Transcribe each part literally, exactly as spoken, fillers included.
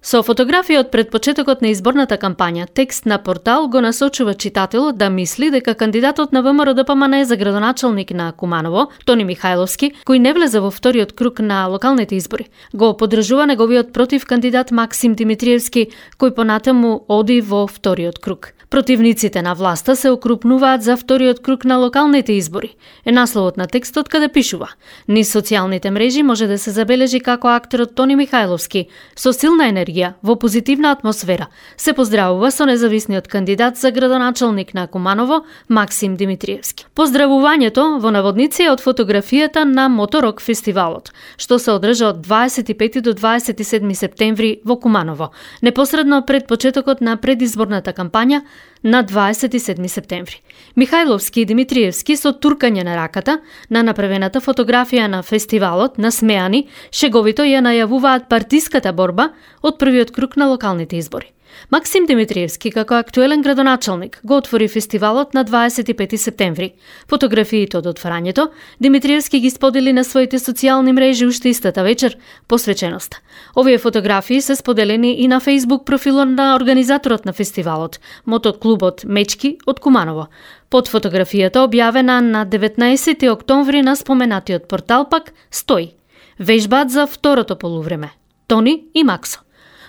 Со фотографија од пред почетокот на изборната кампања, текст на портал го насочува читателот да мисли дека кандидатот на ВМРО-ДПМН за градоначалник на Куманово, Тони Михајловски, кој не влезе во вториот круг на локалните избори, го поддржува неговиот против кандидат Максим Димитриевски, кој понатаму оди во вториот круг. Противниците на власта се окрупнуваат за вториот круг на локалните избори. Е насловот на текстот каде пишува: низ социјалните мрежи може да се забележи како актерот Тони Михајловски со силна енергија во позитивна атмосфера се поздравува со независниот кандидат за градоначалник на Куманово Максим Димитриевски. Поздравувањето во наводници е од фотографијата на Моторок фестивалот, што се одржа од дваесет и пети до дваесет и седми септември во Куманово, непосредно пред почетокот на предизборната кампања на дваесет и седми септември. Михајловски и Димитриевски со туркање на раката на направената фотографија на фестивалот, насмеани, шеговито ја најавуваат партиската борба од првиот круг на локалните избори. Максим Димитриевски, како актуелен градоначалник, го отвори фестивалот на дваесет и пети септември. Фотографиите од отворањето Димитриевски ги сподели на своите социјални мрежи уште истата вечер, посвеченоста. Овие фотографии се споделени и на Facebook профилот на организаторот на фестивалот, мотоклубот Мечки од Куманово. Под фотографијата објавена на деветнаесети октомври на споменатиот портал пак стои: вежбаат за второто полувреме Тони и Максо.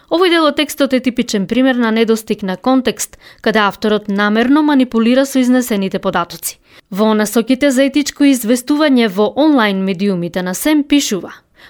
Овој дел од текстот е типичен пример на недостиг на контекст, каде авторот намерно манипулира со изнесените податоци. Во насоките за етичко известување во онлайн медиумите на СЕМ пишува: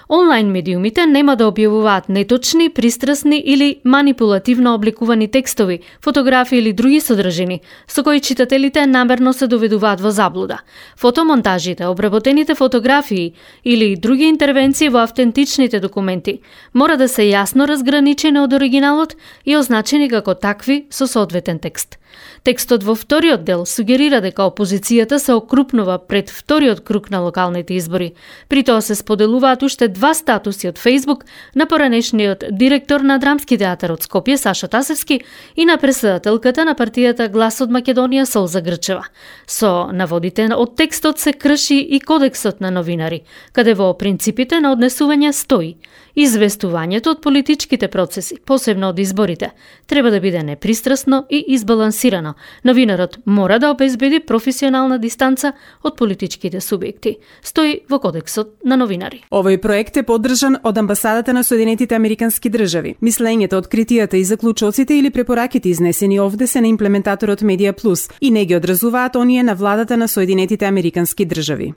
онлайн медиумите нема да објавуваат неточни, пристрасни или манипулативно обликувани текстови, фотографии или други содржини, со кои читателите намерно се доведуваат во заблуда. Фотомонтажите, обработените фотографии или други интервенции во автентичните документи мора да се јасно разграничени од оригиналот и означени како такви со соодветен текст. Текстот во вториот дел сугерира дека опозицијата се окрупнува пред вториот круг на локалните избори. При тоа се споделуваат уште два статуси од Facebook на поранешниот директор на Драмски театар од Скопје Саша Тасевски и на председателката на партијата Глас од Македонија Солза Грчева. Со наводите од текстот се крши и кодексот на новинари, каде во принципите на однесување стои: известувањето од политичките процеси, посебно од изборите, треба да биде непристрасно и избалансирано. Новинарот мора да обезбеди професионална дистанца од политичките субјекти, стои во кодексот на новинари. Овој проект е поддржан од Амбасадата на Соединетите Американски држави. Мислењето, откритијата и заклучоците или препораките изнесени овде се на имплементаторот Медија Плюс и не ги одразуваат оние на владата на Соединетите Американски држави.